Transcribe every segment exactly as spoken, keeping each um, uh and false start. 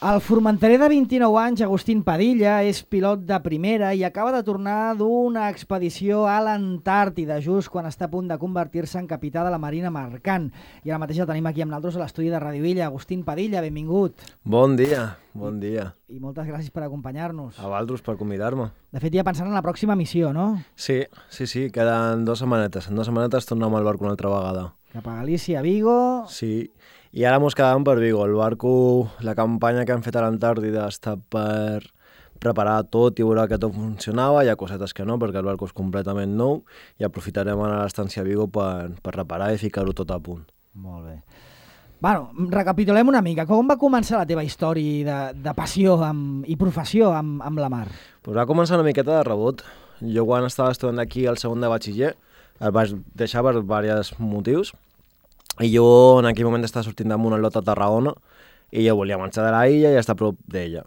El formenterer de vint-i-nou anys, Agustín Padilla, és pilot de primera i acaba de tornar d'una expedició a l'Antàrtida, just quan està a punt de convertir-se en capità de la Marina Mercant. I ara mateix el tenim aquí amb nosaltres a l'estudi de Ràdio Illa. Agustín Padilla, benvingut. Bon dia, bon dia. I moltes gràcies per acompanyar-nos. A vosaltres per convidar-me. De fet, ja pensant en la pròxima missió, no? Sí, sí, sí, queden dues setmanetes. En dues setmanetes tornem al barco una altra vegada. Cap a Galícia, a Vigo... Sí, i ara mos quedàvem per Vigo. El barco, la campanya que han fet a l'Antàrtida està per preparar tot i veure que tot funcionava. Hi ha cosetes que no, perquè el barco és completament nou i aprofitarem ara l'estància a Vigo per, per reparar i ficar-ho tot a punt. Molt bé. Bueno, recapitulem una mica. Com va començar la teva història de, de passió amb, i professió amb, amb la mar? Pues va començar una miqueta de rebot. Jo quan estava estudiant aquí al segon de batxiller el vaig deixar per diversos motius. I jo en aquell moment estava sortint damunt el lot a Tarragona i jo volia marxar de la illa i estar a prop d'ella.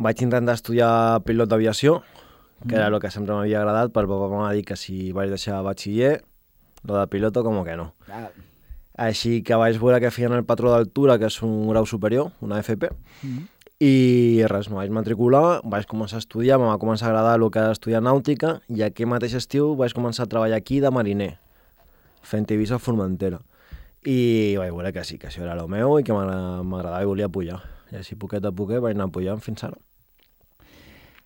Vaig intentar estudiar pilot d'aviació, que mm. era el que sempre m'havia agradat, però el papa m'ha dit que si vaig deixar batxiller, lo de piloto com que no. Ah. Així que vaig veure que feien el patró d'altura, que és un grau superior, una F P, mm. i res, me vaig matricular, vaig començar a estudiar, em va començar a agradar el que era estudiar nàutica, i aquell mateix estiu vaig començar a treballar aquí de mariner, fent Eivissa a Formentera. I vaig veure que sí, que això era el meu i que m'agradava i volia pujar. I així, poquet a poquet, vaig anar pujant fins ara.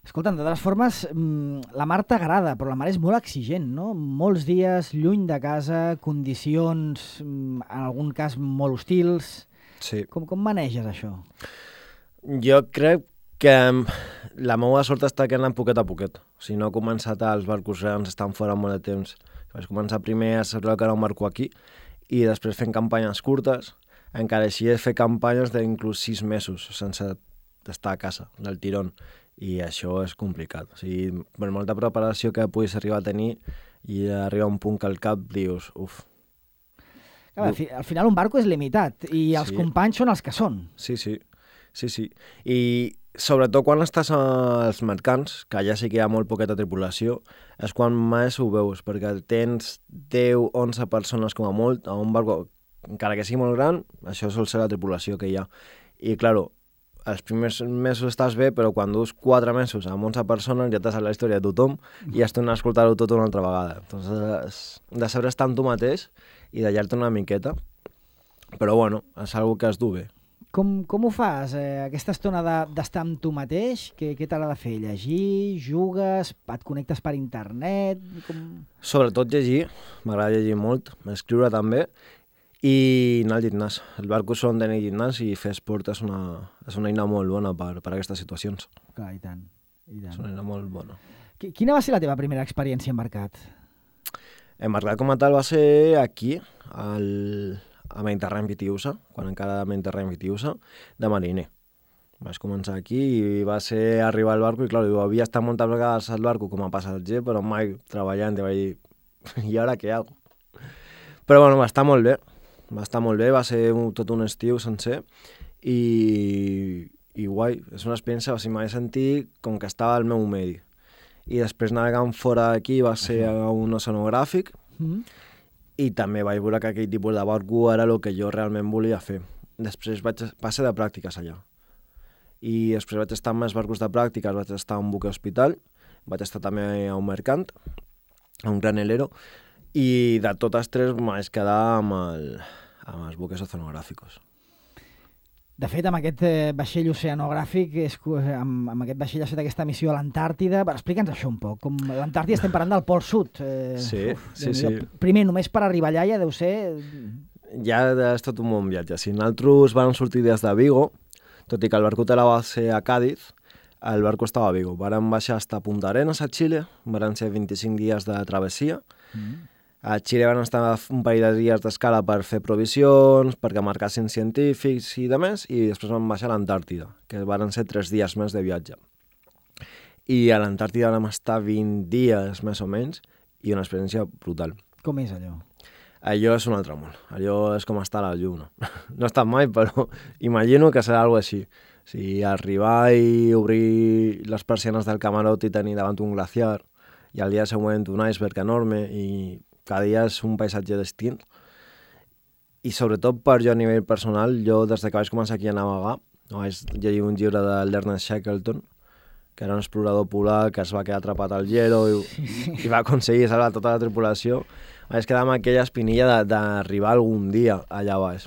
Escolta, de totes formes, la mar t'agrada, però la mar és molt exigent, no? Molts dies lluny de casa, condicions, en algun cas, molt hostils. Sí. Com, com maneges això? Jo crec que la meva sort està que anant poquet a poquet. O sigui, no he començat als barcos grans, estan fora molt de temps. Vaig començar primer a saber que era un barco aquí, i després fent campanyes curtes, encara així he fet campanyes d'inclús sis mesos sense estar a casa, del tirón, i això és complicat. O sigui, per molta preparació que puguis arribar a tenir i arribar a un punt que al cap dius, uf. Clar, al, fi, al final un barco és limitat i els sí. companys són els que són. Sí, sí, sí, sí. I sobretot quan estàs als mercants, que allà sí que hi ha molt poqueta tripulació, és quan més ho veus, perquè tens deu o onze persones com a molt a un barco, encara que sigui molt gran, això sol ser la tripulació que hi ha. I, clar, els primers mesos estàs bé, però quan dus quatre mesos amb onze persones ja t'has la història de tothom i has tornat a escoltar-ho tot una altra vegada. Entonces, de saber estar amb tu mateix i d'allar-te una miqueta, però, bueno, és una que es du bé. Com, com ho fas, eh, aquesta estona d'estar amb tu mateix? Què, què t'agrada fer? Llegir? Jugues? Et connectes per internet? Com... Sobretot llegir, m'agrada llegir molt, escriure també, i anar al gimnàs. El barco són d'anar al gimnàs i fer esport és una, és una eina molt bona per, per a aquestes situacions. Clar, i tant, i tant. És una eina molt bona. Quina va ser la teva primera experiència en mercat? En mercat com a tal va ser aquí, al... a Mediterrani Vitiusa, quan encara era Mediterrani Vitiusa, de mariner. Vaig començar aquí i va ser arribar al barco i, clar, havia estat moltes vegades al barco com a passatger, però mai treballant, i vaig dir, i ara què hago? Però, bueno, va estar molt bé, va estar molt bé, va ser un, tot un estiu sencer, i, i guai, és una experiència, o sigui, m'he sentit com que estava al meu medi. I després navegant fora d'aquí va ser a un oceanogràfic, mm-hmm. i també vaig veure que aquell tipus de barco era el que jo realment volia fer. Després vaig passar de pràctiques allà. I després vaig estar en més barcos de pràctiques, vaig estar a un buque hospital, vaig estar també a un mercant, a un granelero, i de totes tres m'haig quedar amb, el, amb els buques oceanogràficos. De fet, amb aquest eh, vaixell oceanogràfic, és, amb, amb aquest vaixell ha fet aquesta missió a l'Antàrtida. Explica'ns això un poc. Com l'Antàrtida estem parlant del Pol Sud. Eh, sí, uf, sí, sí. Primer, només per arribar allà ja deu ser... Ja és tot un bon viatge. Si nosaltres vam sortir des de Vigo, tot i que el barco té la base a Càdiz, el barco estava a Vigo. Vam baixar fins a Punta Arenas, a Xile, van ser vint-i-cinc dies de travessia. Mm. A Xile van estar un parell de dies d'escala per fer provisions, perquè marcassin científics i demés, i després van baixar a l'Antàrtida, que van ser tres dies més de viatge. I a l'Antàrtida vam estar vint dies, més o menys, i una experiència brutal. Com és allò? Allò és un altre món. Allò és com estar a la lluna. No he estat mai, però imagino que serà alguna així. O sigui, arribar i obrir les persianes del camarot i tenir davant un glaciar, i al dia següent un iceberg enorme, i cada dia és un paisatge distint. I sobretot per jo a nivell personal, jo des que vaig començar aquí a navegar, No, vaig llegir un llibre de l'Ernest Shackleton, que era un explorador polar que es va quedar atrapat al hielo i, sí, sí. i va aconseguir salvar tota la tripulació. Vaig quedar amb aquella espinilla d'arribar algun dia allà baix.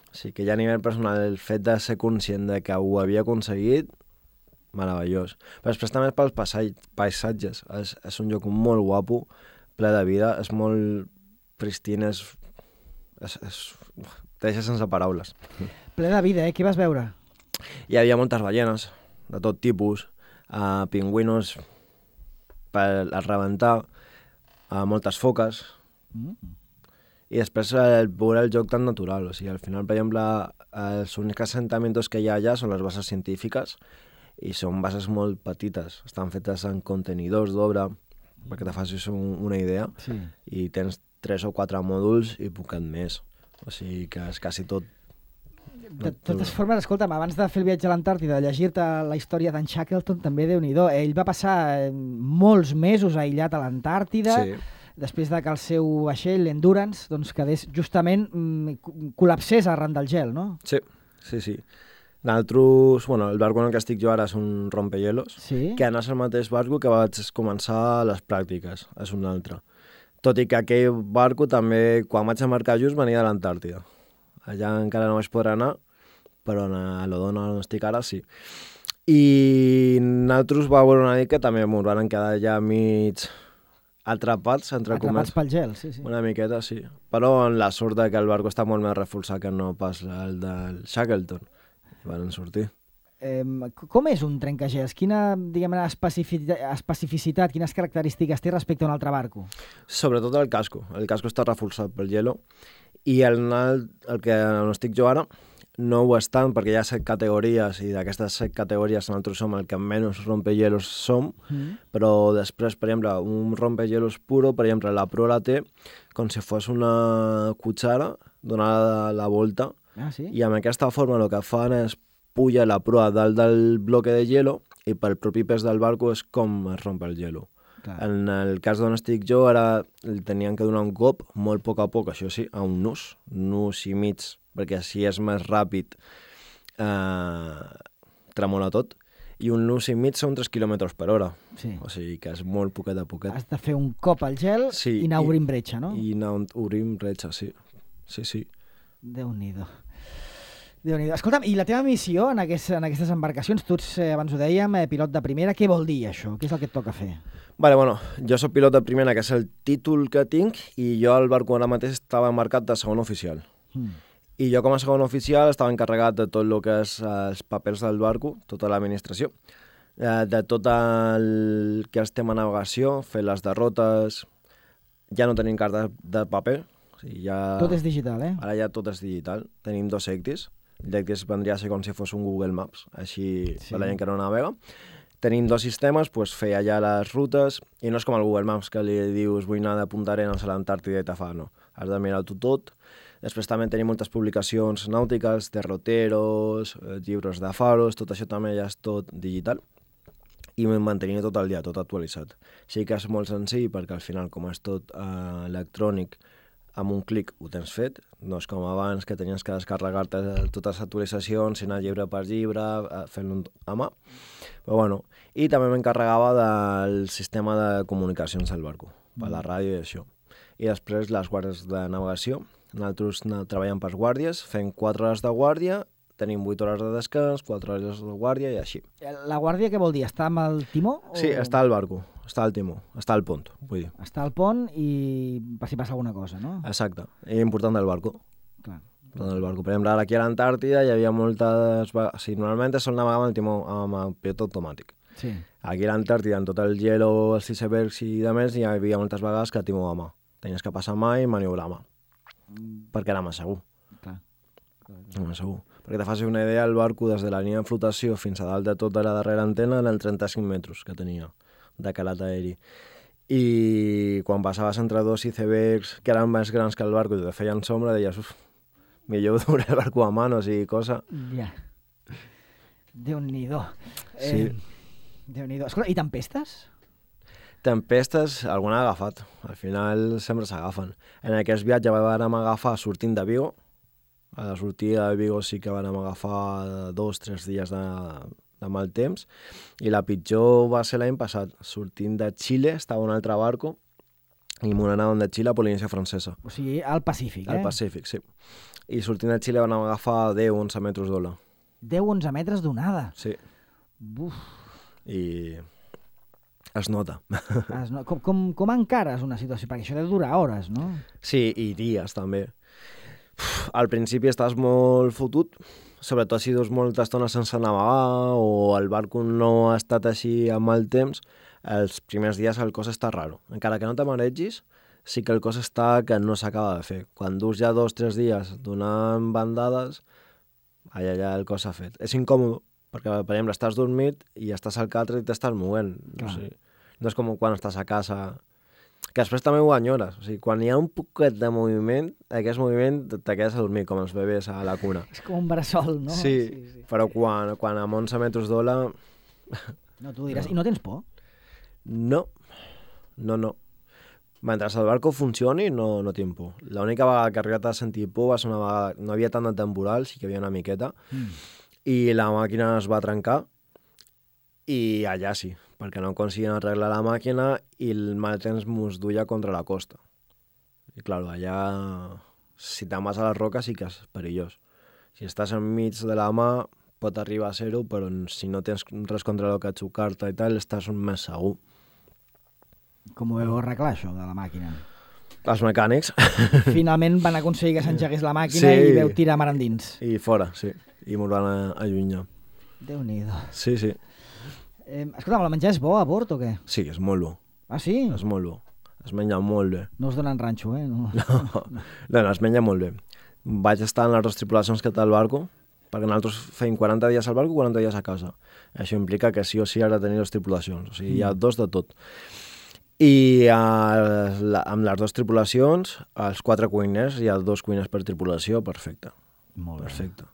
O sigui que ja a nivell personal el fet de ser conscient de que ho havia aconseguit, meravellós. Però després també pels paisatges. És, és un lloc molt guapo, ple de vida, és molt pristine, és... és, és te deixa sense paraules. Ple de vida, eh? Què vas veure? Hi havia moltes ballenes, de tot tipus, uh, pingüinos per a rebentar, uh, moltes foques, mm. i després el, veure el joc tan natural. O sigui, al final, per exemple, els únics assentaments que hi ha allà són les bases científiques, i són bases molt petites, estan fetes en contenidors d'obra, perquè te facis un, una idea, sí. i tens tres o quatre mòduls i poquet més. O sigui que és quasi tot... De totes formes, escolta'm, abans de fer el viatge a l'Antàrtida, de llegir-te la història d'en Shackleton, també Déu-n'hi-do. Ell va passar molts mesos aïllat a l'Antàrtida, sí. després de que el seu vaixell, l'Endurance, doncs quedés justament col·lapsés arran del gel, no? Sí, sí, sí. Nosaltres, bueno, el barco en el que estic jo ara és un rompehielos, sí? que no és el mateix barco que vaig començar les pràctiques, és un altre. Tot i que aquell barco també, quan vaig embarcar just, venia de l'Antàrtida. Allà encara no vaig poder anar, però a l'Odona on estic ara sí. I nosaltres va veure una mica que també ens van quedar allà mig atrapats, entre comerç. Atrapats pel gel, sí, sí. Una miqueta, sí. Però en la sort que el barco està molt més reforçat que no pas el del Shackleton. I van sortir. Eh, com és un trencagels? Quina, diguem-ne, especificitat, especificitat, quines característiques té respecte a un altre barco? Sobretot el casco. El casco està reforçat pel hielo i el, el que on estic jo ara no ho és tant perquè hi ha set categories i d'aquestes set categories nosaltres som el que menys rompehielos som, mm. però després, per exemple, un rompehielos puro, per exemple, la proa la té com si fos una cuchara donada la volta. Ah, sí? I amb aquesta forma el que fan és puja la proa dalt del bloque de hielo i pel propi pes del barco és com es rompe el hielo. Clar. En el cas d'on estic jo, ara tenien que donar un cop molt a poc a poc, això sí, a un nus, nus i mig, perquè així és més ràpid, eh, tremola tot, i un nus i mig són tres quilòmetres per hora. Sí. O sigui que és molt poquet a poquet. Has de fer un cop al gel sí, i anar obrint bretxa, no? I anar obrint bretxa, sí. Sí, sí. Déu-n'hi-do. Déu-n'hi-do. Escolta'm, i la teva missió en, aquest, en aquestes embarcacions, tu ets, eh, abans ho dèiem, eh, pilot de primera, què vol dir això? Què és el que et toca fer? Vale, bueno, jo soc pilot de primera, que és el títol que tinc, i jo al barco ara mateix estava embarcat de segon oficial. Mm. I jo com a segon oficial estava encarregat de tot el que és els papers del barco, tota l'administració, eh, de tot el que és tema navegació, fer les derrotes, ja no tenim cartes de paper. O sigui, ja... Tot és digital, eh? Ara ja tot és digital. Tenim dos Ectis. L'Ectis vendria a ser com si fos un Google Maps, així sí. Per la gent que no navega. Tenim dos sistemes, doncs fer allà les rutes, i no és com el Google Maps, que li dius vull anar de Punta Arenas a l'Antàrtida i te fa, no. Has de mirar-ho tot. Després també tenim moltes publicacions nàutiques, derroteros, llibres de faros, tot això també ja és tot digital. I mantenir tot el dia, tot actualitzat. Sí que és molt senzill, perquè al final, com és tot eh, electrònic, amb un clic ho tens fet, no és com abans que tenies que descarregar-te totes les actualitzacions, anar llibre per llibre, fent-lo a mà. Però bueno, i també m'encarregava del sistema de comunicacions del barco, per la ràdio i això. I després les guàrdies de navegació. Nosaltres treballem per guàrdies, fem quatre hores de guàrdia, tenim vuit hores de descans, quatre hores de guàrdia i així. La guàrdia què vol dir? Està amb el timó? O... Sí, està al barco, està al timó, està al pont, vull dir. Està al pont i per si passa alguna cosa, no? Exacte, i important del barco. Clar. Important del barco. Per exemple, ara aquí a l'Antàrtida hi havia moltes... O sigui, normalment sol navegar amb el timó amb el pilot automàtic. Sí. Aquí a l'Antàrtida, en tot el hielo, els icebergs i de més, hi havia moltes vegades que timó a mà. Tenies que passar mà i maniobrar a mà. Mm. Perquè era més segur. Clar. Clar, clar. Era més segur. Perquè te facis una idea, el barco des de la línia de flotació fins a dalt de tota la darrera antena eren trenta-cinc metres que tenia de calat aeri. I quan passaves entre dos icebergs que eren més grans que el barco i te feien sombra, deies, uf, millor doblar el barco a manos i cosa. Ja. Déu-n'hi-do. Sí. Eh, Déu-n'hi-do. Escolta, i tempestes? Tempestes, alguna ha agafat. Al final sempre s'agafen. En aquest viatge vam agafar sortint de Vigo, A la sortida de Vigo sí que vam agafar dos, tres dies de, de mal temps, i la pitjor va ser l'any passat. Sortint de Xile, estava un altre barco, i m'ho anàvem de Xile a Polinèsia Francesa. O sigui, al Pacífic, eh? Al Pacífic, sí. I sortint de Xile vam agafar deu onze metres d'ola. deu onze metres d'onada? Sí. Buf. I es nota. Es no... com, com, com encares una situació? Perquè això deu durar hores, no? Sí, i dies també. Uf, al principi estàs molt fotut, sobretot si dus molta estona sense navegar o el barco no ha estat així amb mal temps, els primers dies el cos està raro. Encara que no te maregis, sí que el cos està que no s'acaba de fer. Quan dus ja dos o tres dies donant bandades, allà ja el cos s'ha fet. És incòmode, perquè, per exemple, estàs dormit i estàs al catre i t'estàs movent. No, sé. No és com quan estàs a casa, que després també ho enyores. O sigui, quan hi ha un poquet de moviment, aquest moviment te quedes a dormir, com els bebès a la cuna. És com un bressol, no? Sí, sí, sí. Però quan, quan amb onze metres d'ola... No, tu diràs. No. I no tens por? No, no, no. Mentre el barco funcioni, no, no tinc por. L'única vegada que he arribat a sentir por va ser una vegada... No havia tant de temporal, sí que hi havia una miqueta, mm. i la màquina es va trencar, i allà sí, perquè no aconseguien arreglar la màquina i el mal temps mos duia contra la costa. I clar, allà, si te'n vas a les roques sí que és perillós. Si estàs enmig de la mà, pot arribar a ser-ho, però si no tens res contra el que xocar-te i tal, estàs més segur. Com ho veu arreglar, això, de la màquina? Els mecànics. Finalment van aconseguir que s'engegués la màquina, sí, i veu tirar mar endins. I fora, sí. I m'ho van allunyar. Déu-n'hi-do. Sí, sí. Eh, escolta'm, el menjar és bo a bord o què? Sí, és molt bo. Ah, sí? És molt bo. Es menja molt bé. No us donen ranxo, eh? No, no, no, no es menja molt bé. Vaig estar en les dues tripulacions que té el barco, perquè nosaltres feim quaranta dies al barco i quaranta dies a casa. Això implica que sí o sí has de tenir dues tripulacions. O sigui, mm. hi ha dos de tot. I a, la, amb les dues tripulacions, els quatre cuiners, hi ha dos cuiners per tripulació, perfecte. Molt bé. Perfecte.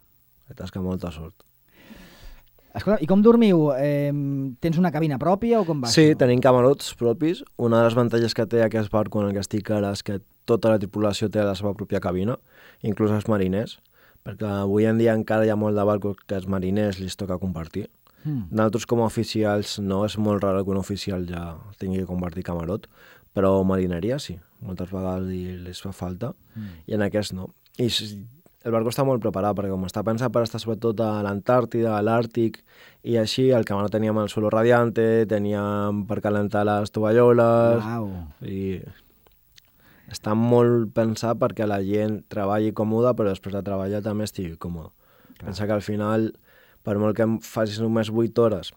Que tasca molta sort. Escolta, i com dormiu? Eh, tens una cabina pròpia o com va? Sí, això? tenim camarots propis. Una de les avantatges que té aquest barco en el que estic ara és que tota la tripulació té la seva pròpia cabina, inclús els mariners, perquè avui en dia encara hi ha molt de barcos que els mariners li toca compartir. Mm. Nosaltres com a oficials no, és molt raro que un oficial ja tingui que compartir camarot, però marineria sí, moltes vegades li fa falta, mm. i en aquest no. I el barco està molt preparat, perquè com està pensat per estar sobretot a l'Antàrtida, a l'Àrtic, i així, el camarot teníem el suelo radiante, teníem per calentar les tovalloles... Uau. I està molt pensat perquè la gent treballi còmoda, però després de treballar també estigui còmoda. Clar. Pensa que al final, per molt que facis només vuit hores,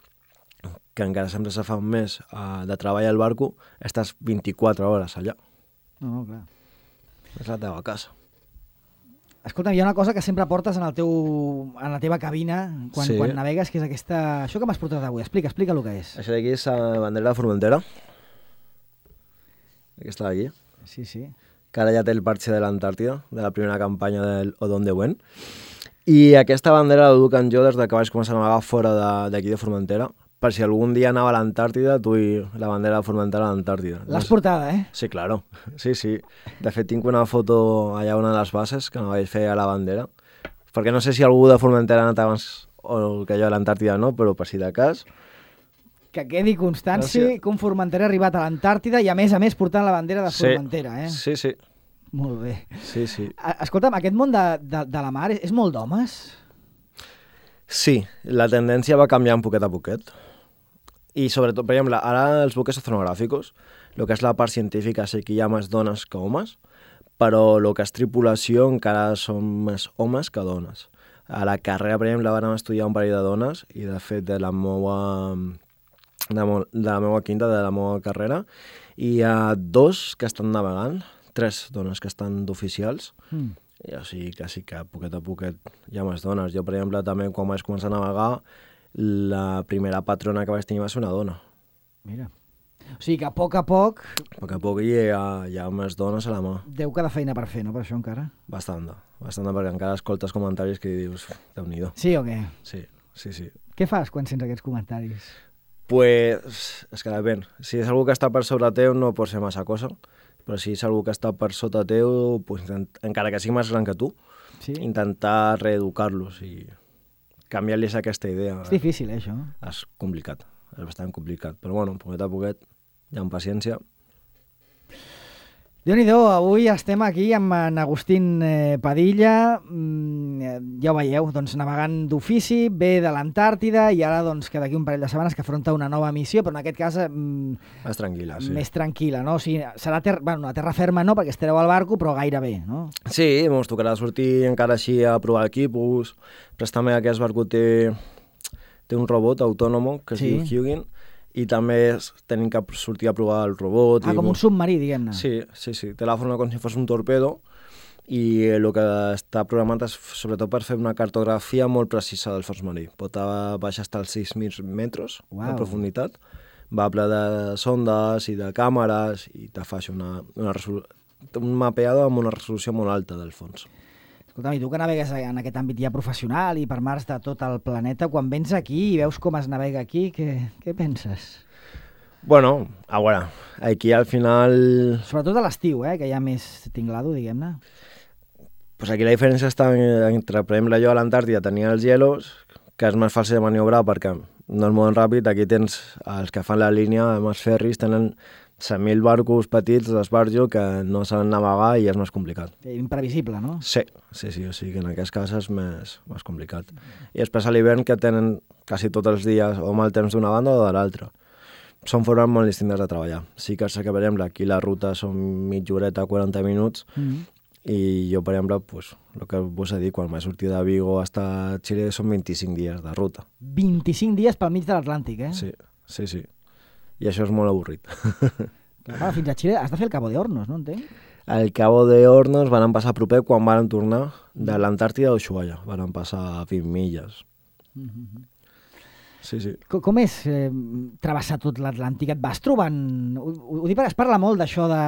que encara sempre se fan més uh, de treball al barco, estàs vint-i-quatre hores allà. No, no, clar. És la teva casa. Escolta, hi ha una cosa que sempre portes en, el teu, en la teva cabina quan, sí. quan navegues, que és aquesta... Això que m'has portat avui, explica, explica el que és. Això d'aquí és la bandera de Formentera. Aquesta d'aquí. Sí, sí. Que ara ja té el parxe de l'Antàrtida, de la primera campanya del Odón de Buen. I aquesta bandera la duc en jo des que vaig començar a navegar fora d'aquí de, de Formentera, per si algun dia anava a l'Antàrtida, duia la bandera de Formentera a l'Antàrtida. L'has portada, eh? Sí, claro. Sí, sí. De fet, tinc una foto allà a una de les bases que no vaig fer a la bandera, perquè no sé si algú de Formentera ha anat abans o que jo a l'Antàrtida no, però per si de cas... Que quedi constància Gràcies. Que un Formentera ha arribat a l'Antàrtida i a més a més portant la bandera de Formentera, eh? Sí, sí. Molt bé. Sí, sí. Escolta'm, aquest món de, de, de la mar és, és molt d'homes? Sí, la tendència va canviar un poquet a poquet. I sobretot, per exemple, ara els buques oceanogràficos, el que és la part científica sí que hi ha més dones que homes, però el que és tripulació encara són més homes que dones. A la carrera, per exemple, vam estudiar un parell de dones i, de fet, de la meva, de, mo, de la meva quinta, de la meva carrera, hi ha dos que estan navegant, tres dones que estan d'oficials, mm. i o sigui que sí que a poquet a poquet hi ha més dones. Jo, per exemple, també quan vaig començar a navegar, la primera patrona que vaig tenir va ser una dona. Mira. O sigui que a poc a poc... A poc a poc hi ha, hi ha més dones a la mà. Déu que de feina per fer, no, per això encara? Bastant, bastant, perquè encara escoltes comentaris que dius, Déu-n'hi-do. Sí o què? Sí, sí, sí. Què fas quan sents aquests comentaris? Pues, és que depèn. Si és algú que està per sobre teu no pot ser massa cosa, però si és algú que està per sota teu, pues, en, encara que sigui més gran que tu, Sí? intentar reeducar-los i canviar-los aquesta idea. És difícil, eh, això. És complicat, és bastant complicat. Però bueno, poquet a poquet, ja amb paciència. Déu-n'hi-do, avui estem aquí amb en Agustín eh, Padilla, mm, ja ho veieu, doncs navegant d'ofici, ve de l'Antàrtida i ara doncs que d'aquí un parell de setmanes que afronta una nova missió, però en aquest cas mm, més tranquil·la, sí. Més tranquil·la, no? O sigui, serà ter bueno, a terra ferma no, perquè estareu al barco, però gairebé, no? Sí, ens tocarà sortir encara així a provar equipos, però també aquest barco té, té un robot autònom que es Sí. diu Hugin, i també tenim que sortir a provar el robot. Ah, i com un submarí, diguem-ne. Sí, sí, sí. Té la forma com si fos un torpedo i el que està programat és sobretot per fer una cartografia molt precisa del fons marí. Pot baixar fins als sis mil metres Uau. de profunditat. Va ple de sondes i de càmeres i te fa una, una resolu... un mapeado amb una resolució molt alta del fons. Escolta'm, i tu que navegues en aquest àmbit ja professional i per mars de tot el planeta, quan vens aquí i veus com es navega aquí, què, què penses? Bueno, a veure, aquí al final... Sobretot a l'estiu, eh, que hi ha més tinglado, diguem-ne. Pues aquí la diferència està entre, per exemple, jo a l'Antàrtida tenia els hielos, que és més fàcil de maniobrar perquè no es mouen ràpid. Aquí tens els que fan la línia, els ferris, tenen cent mil barcos petits d'esbarjo que no saben navegar i és més complicat. Imprevisible, no? Sí, sí, sí, o sigui que en aquest cas és més, més complicat. I després a l'hivern que tenen quasi tots els dies o mal temps d'una banda o de l'altra. Són formes molt distintes de treballar. Sí que sé que, per exemple, aquí la ruta són mitja horeta, quaranta minuts, mm-hmm. i jo, per exemple, pues, el que vos he dit, quan m'he sortit de Vigo fins a Xile són vint-i-cinc dies de ruta. vint-i-cinc dies pel mig de l'Atlàntic, eh? Sí, sí, sí. I això és molt avorrit. Clar, fins a Xile has de fer el Cabo de Hornos, no entenc? El Cabo de Hornos van passar proper quan van tornar de l'Antàrtida a Ushuaia. Van passar vint milles. Mm-hmm. Sí, sí. Com, com és eh, travessar tot l'Atlàntic? Et vas trobant... Ho, ho dic perquè es parla molt d'això de...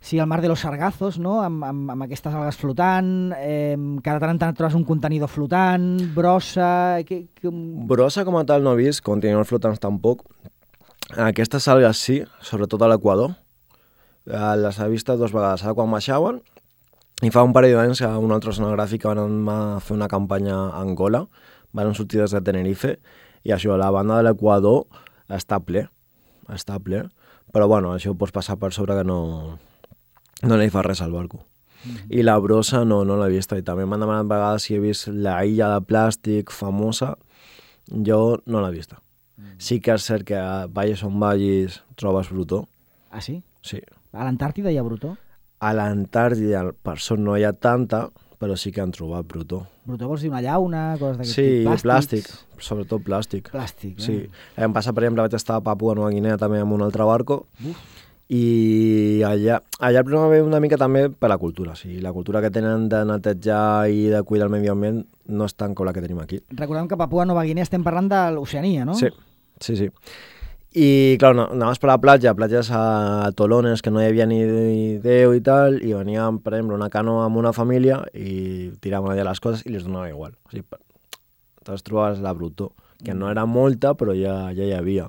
Sí, el mar de los sargazos, no? Amb, amb, amb aquestes algues flotant, eh, cada tant en tant trobes un contenidor flotant, brossa... Que, que... Brossa com a tal no he vist, contenidors flotants tampoc. Aquestes algues sí, sobretot a l'Equador. Les he vist dues vegades, ara quan baixaven, i fa un parell d'anys a una altra zona gràfica van fer una campanya a Angola, van sortir des de Tenerife, i això, la banda de l'Equador està ple, està ple, però bueno, això ho pots passar per sobre que no, no li fa res al barco. Mm-hmm. I la brossa no, no l'he vist, i també m'han demanat vegades si he vist la illa de plàstic famosa, jo no l'he vist. Mm-hmm. Sí que és cert que valles on vallis trobes brutó. Ah, sí? Sí. A l'Antàrtida hi ha brutó? A l'Antàrtida, per sort, no hi ha tanta, però sí que han trobat brutó. Brutó vols dir una llauna, coses d'aquest sí, tipus? Sí, plàstic, sobretot plàstic. Plàstic, eh? Sí. Em passa, per exemple, vaig estar a Papua Nova Guinea també amb un altre barco, Uf. i allà, allà el problema ve una mica també per la cultura. O sigui, la cultura que tenen de netejar i de cuidar el medi ambient no és tan com la que tenim aquí. Recordem que a Papua Nova Guinea estem parlant de l'Oceania, no? Sí, sí, sí. I, clar, no, anaves per la platja, platges a Tolones, que no hi havia ni Déu i tal, i veníem, per exemple, una canoa amb una família i tiraven allà les coses i les donava igual. O sigui, llavors trobaves la brutó, que no era molta, però ja, ja hi havia.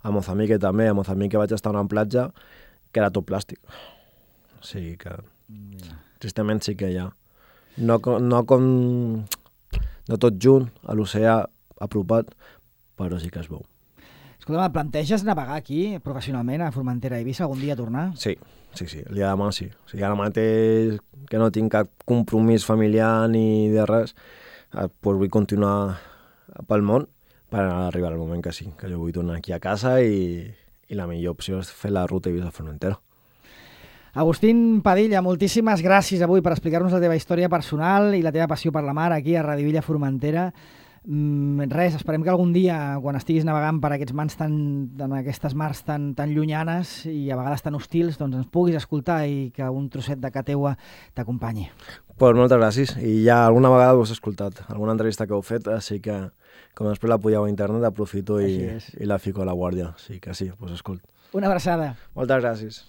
A Mozambique també, a Mozambique vaig estar a una platja que era tot plàstic. O sigui que, yeah. tristament sí que hi ha. No, no com... No tot junt, a l'oceà apropat, però sí que es veu. Escolta, planteges navegar aquí professionalment a Formentera i Eivissa algun dia tornar? Sí, sí, sí, el dia de demà sí. O sigui, ara mateix que no tinc cap compromís familiar ni de res, doncs vull continuar pel món per arribar al moment que sí, que jo vull tornar aquí a casa i, i la millor opció és fer la ruta Eivissa-Formentera. Agustín Padilla, moltíssimes gràcies avui per explicar-nos la teva història personal i la teva passió per la mar aquí a Radio Villa Formentera. Mm, res, esperem que algun dia, quan estiguis navegant per aquests mars tan, en aquestes mars tan, tan llunyanes i a vegades tan hostils, doncs ens puguis escoltar i que un trosset de ca teua t'acompanyi. Pues moltes gràcies. I ja alguna vegada us he escoltat, alguna entrevista que heu fet, així que com després la pujeu a internet, aprofito i, i la fico a la guàrdia. Així que sí, pues escolt. Una abraçada. Moltes gràcies.